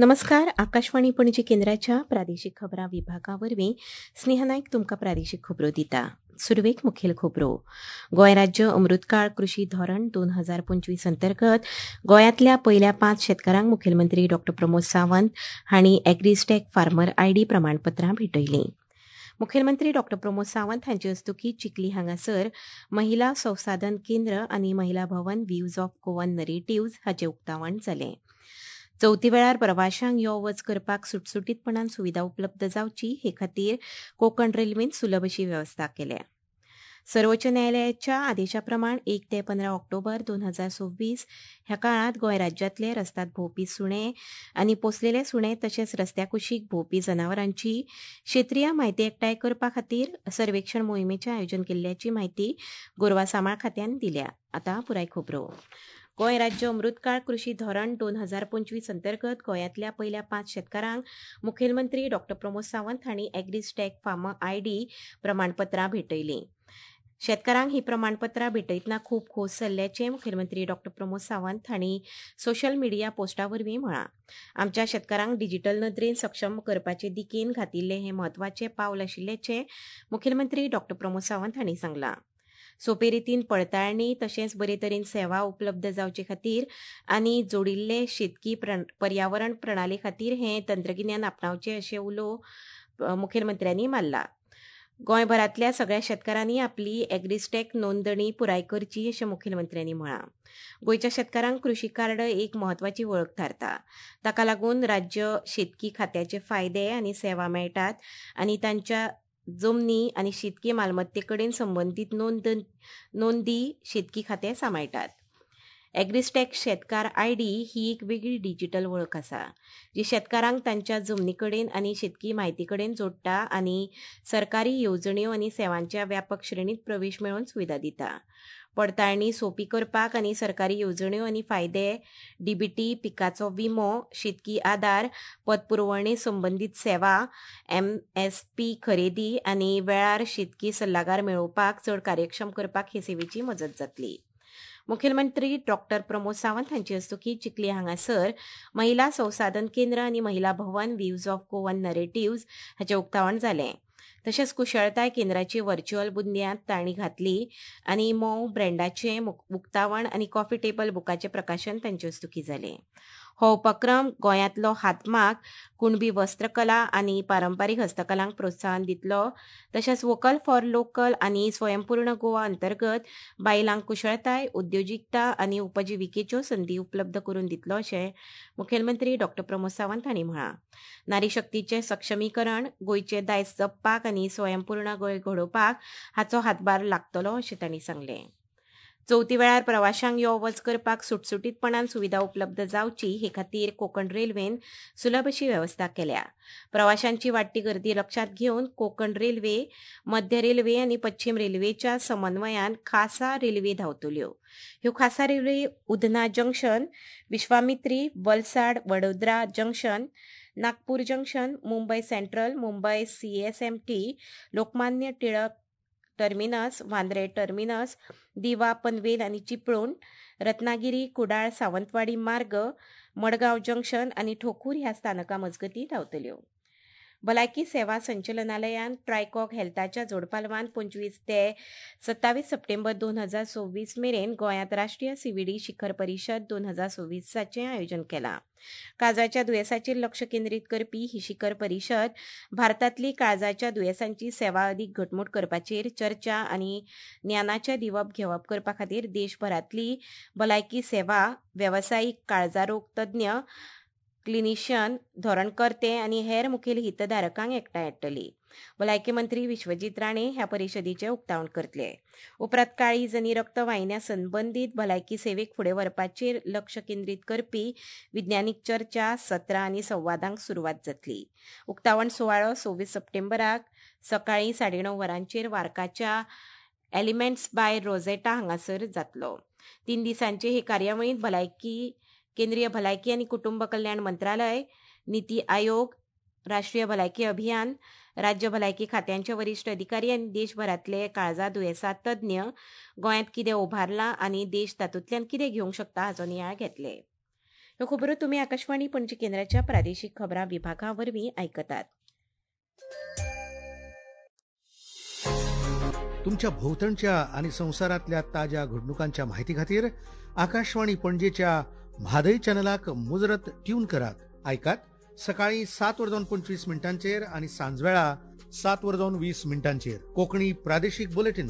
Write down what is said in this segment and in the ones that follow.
नमस्कार, आकाशवाणी पणजी केंद्राच्या प्रादेशिक खबरां विभागा वरवीं स्नेहा नायक तुमकां प्रादेशिक खबरो दिता. सुरवेक मुखेल खबरो. गोंय राज्य अमृतकाळ कृशी धोरण 2025 अंतर्गत गोंयांतल्या पयल्या 5 शेतकारांक मुखेलमंत्री डॉ प्रमोद सावंत हांणी एग्रीस्टॅक फार्मर आयडी प्रमाणपत्रां भेटयलीं. मुखेलमंत्री डॉ प्रमोद सावंत हांचे हस्तुकीं चिखली हांगासर महिला संसाधन केंद्र आनी Mahila Bhavan views of Goan narratives हाचें उक्तावण जालें. चवथी वेळार प्रवाशांक यो वच करपाक सुटसुटीतपणान सुविधा उपलब्ध जावची हे खातीर कोंकण रेल्वेन सुलभ अशी वेवस्था केल्या. सर्वोच्च न्यायालयाच्या आदेशा प्रमाण 1 ते 15 ऑक्टोबर 2026 ह्या काळांत गोंय राज्यांतले रस्त्यात भोंवपी सुणे आनी पोसलेले सुणे तशेंच रस्त्या कुशीक भोंवपी जनावरांची क्षेत्रीय म्हायती एकठांय करपा खातीर सर्वेक्षण मोहिमेचें आयोजन केल्ल्याची म्हायती गोरवां सांबाळ खात्यान दिल्या. आतां पुराय खबरो. गोंय राज्य अमृतकाळ कृशी धोरण 2025 अंतर्गत गोंयांतल्या पयल्या 5 शेतकारांक मुखेलमंत्री डॉ प्रमोद सावंत हांणी एग्रीस्टॅक फार्मर आयडी प्रमाणपत्रां भेटयलीं. शेतकारांक ही प्रमाणपत्रां भेटयतना खूब खोस जाल्ल्याचें मुखेलमंत्री डॉ प्रमोद सावंत हांणी सोशल मिडिया पोस्टा वरवीं म्हळां. आमच्या शेतकारांक डिजिटल नदरेन सक्षम करपाचे दिकेन घातिल्लें हें म्हत्वाचें पावल आशिल्ल्याचें मुखेलमंत्री डॉ प्रमोद सावंत हांणी सांगलां. सोपे रितीन पडताळणी तशेंच बरे तरेन सेवा उपलब्ध जावचे खातीर आनी जोडिल्ले शेतकी पर्यावरण प्रणाली खातीर हें तंत्रगिन्यान आपणावचें अशें उलो मुखेलमंत्र्यांनी मारला. गोंयभरांतल्या सगळ्या शेतकारांनी आपली एग्रीस्टॅक नोंदणी पुराय करची अशें मुखेलमंत्र्यांनी म्हळां. गोंयच्या शेतकारांक कृशी कार्ड एक म्हत्वाची वळख थारता. ताका लागून राज्य शेतकी खात्याचे फायदे आनी सेवा मेळटात आनी तांच्या जमनी आनी शेतकी मालमत्ते कडेन संबंदीत नोंदी शेतकी खातें सांबाळटात. एग्रीस्टॅक शेतकार आयडी ही एक वेगळी डिजिटल वळख आसा जी शेतकारांक तांच्या जमनी कडेन आनी शेतकी म्हायती कडेन जोडटा आनी सरकारी येवजण्यो आनी सेवांच्या व्यापक श्रेणीत प्रवेश मेळोवन सुविधा दिता. पडताळणी सोंपी करपाक आनी सरकारी येवजण्यो आनी फायदे, डीबीटी, पिकाचो विमो, शेतकी आदार, पतपुरवणे संबंदीत सेवा, एमएसपी खरेदी आनी वेळार शेतकी सल्लागार मेळोवपाक चड कार्यक्षम करपाक हे सेवेची मजत जातली. मुखेलमंत्री डॉ प्रमोद सावंत हांचे हस्तुकीं चिखली हांगासर महिला संसाधन केंद्र आनी Mahila Bhavan views of Goan narratives हाचें उक्तावण जालें. तशेंच कुशळताय केंद्राची व्हर्च्युअल बुन्याद तांणी घातली आनी मोव ब्रँडाचें उक्तावण आनी कॉफी टेबल बुकाचें प्रकाशन तांचे हस्तुकीं जालें. हो उपक्रम गोंयांतलो हातमाग, कुणबी वस्त्रकला आनी पारंपारीक हस्तकलांक प्रोत्साहन दितलो. तशेंच वोकल फॉर लोकल आनी स्वयंपूर्ण गोवा अंतर्गत बायलांक कुशळताय, उद्योजिकता आनी उपजिविकेच्यो संदी उपलब्ध करून दितलो अशें मुखेलमंत्री डॉ प्रमोद सावंत हांणी म्हळां. नारी शक्तीचें सक्षमीकरण, गोंयचें दायज जपपाक आनी स्वयंपूर्ण गोंय घडोवपाक हाचो हातभार लागतलो अशें तांणी सांगलें. चवथी वेळार प्रवाशांक यो वच करपाक सुटसुटीतपणान सुविधा उपलब्ध जावची हे खातीर कोंकण रेल्वेन सुलभ अशी वेवस्था केल्या. प्रवाशांची वाडटी गर्दी लक्षांत घेवन कोंकण रेल्वे, मध्य रेल्वे आनी पश्चिम रेल्वेच्या समन्वयान खासा रेल्वे धांवतल्यो. ह्यो खासा railway Udhna junction, Vishwamitri, Valsad, Vadodara junction, Nagpur junction, Mumbai central, Mumbai CSMT, Lokmanya Tilak terminus, Vandre terminus, Diva Panvel आनी चिपळूण, रत्नागिरी, कुडाळ, सावंतवाडी मार्ग, मडगांव जंक्शन आनी ठोकूर ह्या स्थानकां मजगतीं धांवतल्यो. भलायकी सेवा संचलनालयान ट्रायकॉक हेल्थाच्या जोडपालवान 25 ते 27 सप्टेंबर 2026 मेरेन गोंयांत राष्ट्रीय सीव्हीडी शिखर परिशद 2026चें आयोजन केलां. काळजाच्या दुयेंसाचेर लक्ष केंद्रीत करपी ही शिखर परिशद भारतांतली काळजाच्या दुयेंसांची सेवा अदीक घटमूट करपाचेर चर्चा आनी ज्ञानाचें दिवप घेवप करपा खातीर देशभरांतली भलायकी सेवा, वेवसायीक काळजारोग तज्ञ, क्लिनिशियन, धोरणकर्ते आनी हेर मुखेल हितधारकांक एकठांय हाडटली. भलायकी मंत्री विश्वजीत राणे ह्या परिशदेचें उक्तावण करतले. उपरांत काळीज आनी रक्तवाहिन्या संबंदीत भलायकी सेवेक फुडें व्हरपाचेर लक्ष केंद्रीत करपी विज्ञानीक चर्चा, सत्रां आनी संवादांक सुरवात जातली. उक्तावण सुवाळो 26 सप्टेंबराक सकाळीं 9:30 वरांचेर वार्काच्या एलिमेंट्स बाय रोजेटा हांगासर जातलो. 3 दिसांचे हे कार्यावळींत भलायकी केंद्रीय भलायकी आनी कुटुंब कल्याण मंत्रालय, नीती आयोग, राष्ट्रीय भलायकी अभियान, राज्य भलायकी खात्यांचे वरिश्ठ अधिकारी आनी देशभरांतले काळजा दुयेंसा तज्ञ गोंयांत कितें उबारलां आनी देश तातूंतल्यान कितें घेवंक शकता हाचो नियाळ घेतले. ह्यो खबरो तुमी आकाशवाणी पणजी केंद्राच्या प्रादेशीक खबरां विभागा वरवीं आयकतात. तुमच्या भोवतणच्या आणि संवसारांतल्या ताज्या घडणुकांच्या माहिती खातीर आकाशवाणी पणजेच्या म्हादय चॅनलाक मुजरत ट्यून करात. आयकात सकाळी 7:25 आणि सांजवेळा 7:20 कोकणी प्रादेशिक बुलेटिन.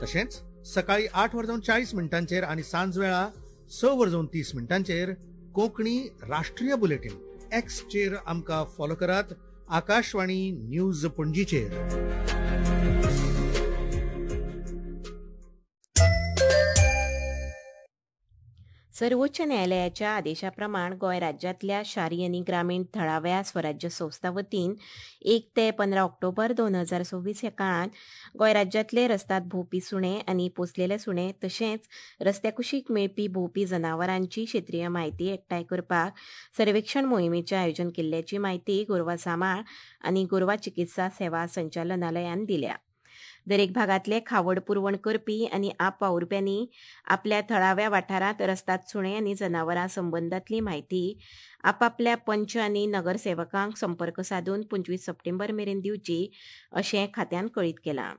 तशेंच सकाळी 8:40 आणि सांजवेळा 6:30 कोकणी राष्ट्रीय बुलेटिन. एक्सचेर आमकां फॉलो करात आकाशवाणी न्यूज पणजीचेर. सर्वोच्च न्यायालयाच्या आदेशा प्रमाण गोंय राज्यांतल्या शारी आनी ग्रामीण थळाव्या स्वराज्य संस्था वतीन 1 ते 15 ऑक्टोबर 2026 ह्या काळांत गोंय राज्यांतले रस्त्यात भोंवपी सुणे आनी पोसलेले सुणे तशेंच रस्त्या कुशीक मेळपी भोंवपी जनावरांची क्षेत्रीय म्हायती एकठांय करपाक सर्वेक्षण मोहिमेचें आयोजन केल्ल्याची म्हायती गोरवां सांबाळ आनी गोरवां चिकित्सा सेवा संचालनालयान दिल्या. दरेक भागांतले खावड पुरवण करपी आनी आप वावुरप्यांनी आपल्या थळाव्या वाठारांत रस्त्यात सुणे आनी जनावरां संबंदांतली म्हायती आपापल्या पंच आनी नगरसेवकांक संपर्क सादून 25 सप्टेंबर मेरेन दिवची अशें खात्यान कळीत केलां.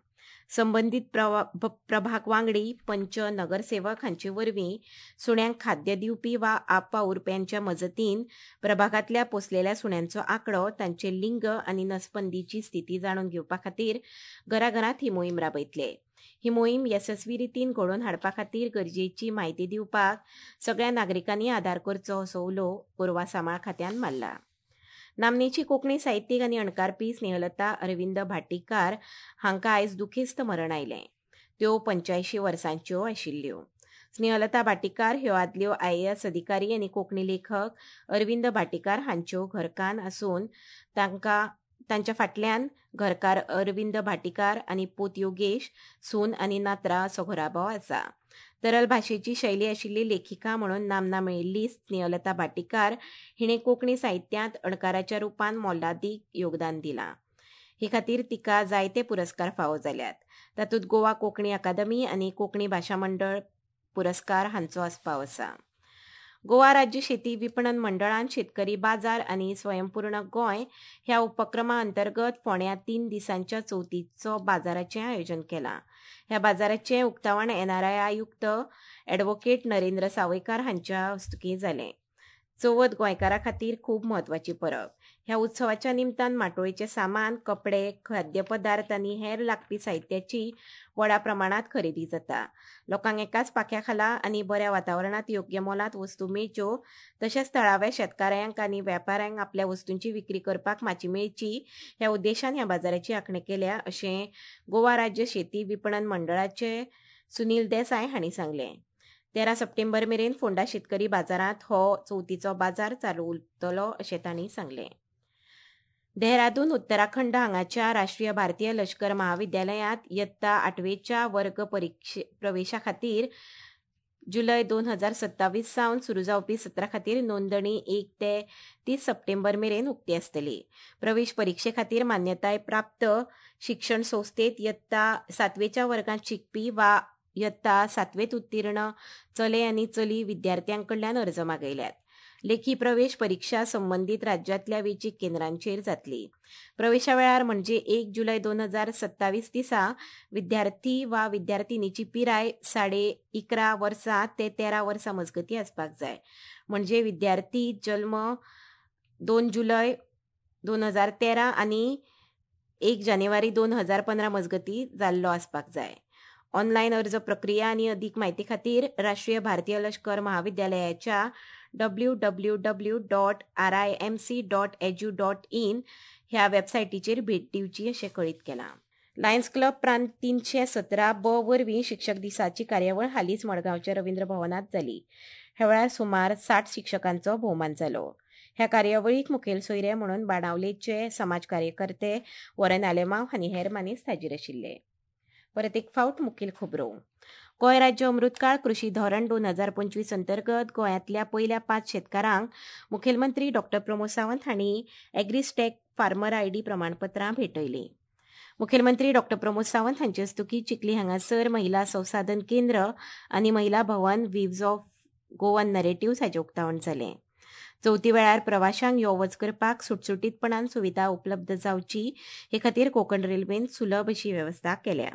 संबंदीत प्रभाग वांगडी, पंच, नगरसेवक हांचे वरवीं सुण्यांक खाद्य दिवपी वा आप वावुरप्यांच्या मजतीन प्रभागांतल्या पोसलेल्या सुण्यांचो आंकडो, तांचे लिंग आनी नसबंदीची स्थिती जाणून घेवपा खातीर घराघरांत ही मोहीम राबयतले. ही मोहीम येसस्वी रितीन घडोवन हाडपा खातीर गरजेची म्हायती दिवपाक सगळ्या नागरिकांनी आदार करचो असो उलो गोरवां सांबाळ खात्यान मारला. नामनेची कोंकणी साहित्यीक आनी अणकारपी स्नेहलता अरविंद भाटीकार हांकां आयज दुखेस्त मरण आयलें. त्यो 85 वर्सांच्यो आशिल्ल्यो. स्नेहलता भाटीकार ह्यो आदल्यो IAS अधिकारी आनी कोंकणी लेखक अरविंद भाटीकार हांच्यो घरकान्न आसून तांच्या फाटल्यान घरकार अरविंद भाटीकार आनी पूत योगेश, सून आनी नात्रा असो घराबो आसा. तरल भाशेची शैली आशिल्ली लेखिका म्हणून नामना मेळिल्ली स्नेहलता भाटीकार हिणें कोंकणी साहित्यांत अणकाराच्या रुपान मोलादीक योगदान दिलां. हे खातीर तिका जायते पुरस्कार फावो जाल्यात. तातूंत गोवा कोंकणी अकादमी आनी कोंकणी भाशा मंडळ पुरस्कार हांचो आस्पाव आसा. गोवा राज्य शेती विपणन मंडळान शेतकरी बाजार आनी स्वयंपूर्ण गोंय ह्या उपक्रमा अंतर्गत फोंड्या 3 दिसांच्या चवथीचो बाजाराचें आयोजन केलां. ह्या बाजाराचें उक्तावण NRI आयुक्त ॲडव्होकेट नरेंद्र सावयकार हांच्या हस्तुकीं जालें. चवथ गोंयकारां खातीर खूब म्हत्वाची परब. ह्या उत्सवाच्या निमतान माटोळेचें सामान, कपडे, खाद्यपदार्थ आनी हेर लागपी साहित्याची व्हडा प्रमाणांत खरेदी जाता. लोकांक एकाच पाख्या खाला आनी बऱ्या वातावरणांत योग्य मोलांत वस्तू मेळच्यो तशेंच थळाव्या शेतकारांक आनी वेपाऱ्यांक आपल्या वस्तूंची विक्री करपाक माची मेळची ह्या उद्देशान ह्या बाजाराची आंखणी केल्या अशें गोवा राज्य शेती विपणन मंडळाचे सुनील देसाय हांणी सांगलें. 13 सप्टेंबर मेरेन फोंडा शेतकरी बाजारांत हो चवथीचो बाजार चालू उरतलो अशें तांणी सांगलें. देहरादून उत्तराखंड हांगाच्या राष्ट्रीय भारतीय लश्कर महाविद्यालयांत इयत्ता 8वेच्या वर्ग प्रवेशा खातीर जुलय 2027 सावन सुरू जावपी सत्रा खातीर नोंदणी 1 ते 30 सप्टेंबर मेरेन उक्ती आसतली. प्रवेश परिक्षे खातीर मान्यताय प्राप्त शिक्षण संस्थेत इयत्ता 7वेच्या वर्गांत शिकपी वा इयत्ता 7वेंत उत्तीर्ण चले आनी चली विद्यार्थ्यां कडल्यान अर्ज मागयल्यात. लेखी प्रवेश परीक्षा संबंदीत राज्यांतल्या वेंचीक केंद्रांचेर जातली. प्रवेशा वेळार म्हणजे 1 जुलय 2027 दिसा विद्यार्थी वा विद्यार्थिनीची पिराय 11.5 वर्सां ते 13 वर्सां मजगती आसपाक जाय. म्हणजे विद्यार्थी जल्म 2 जुलय 2013 आनी 1 जानेवारी 2015 मजगती जाल्लो आसपाक जाय. ऑनलायन अर्ज प्रक्रिया आनी अदीक म्हायती खातीर राष्ट्रीय भारतीय लश्कर महाविद्यालयाच्या www.rimc.edu.in ह्या वेबसायटीचेर भेट दिवची अशें कळीत केलां. लायन्स क्लब प्रांत 317 ब वरवीं शिक्षक दिसाची कार्यावळ हालींच मडगांवच्या रवींद्र भवनांत जाली. ह्या वेळार सुमार 60 शिक्षकांचो भोवमान जालो. ह्या कार्यावळीक मुखेल सोयरे म्हणून बाणावलेचे समाज कार्यकर्ते वॉरन आलेमांव आनी हेर मानेस्त हाजीर आशिल्ले. परत एक फावट मुखेल खबरो. गोंय राज्य अमृतकाळ कृशी धोरण 2025 अंतर्गत गोंयांतल्या पयल्या 5 शेतकारांक मुखेलमंत्री डॉ प्रमोद सावंत हांणी एग्रीस्टॅक फार्मर आयडी प्रमाणपत्रां भेटयलीं. मुखेलमंत्री डॉ प्रमोद सावंत हांचे हस्तुकीं चिखली हांगासर महिला संसाधन केंद्र आनी महिला भवन वीव्स ऑफ गोवन नरेटिव्स हाचें उक्तावण जालें. चवथी वेळार प्रवाशांक यो वच करपाक सुटसुटीतपणान सुविधा उपलब्ध जावची हे खातीर कोंकण रेल्वेन सुलभ अशी वेवस्था केल्या.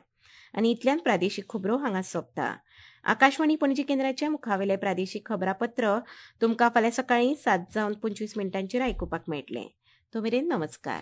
आनी इतल्यान प्रादेशीक खबरो हांगा सोंपता. आकाशवाणी पणजी केंद्राच्या मुखावेलें प्रादेशीक खबरापत्र तुमकां फाल्यां सकाळीं 7:25 आयकुपाक मेळटलें. तो मेरेन नमस्कार.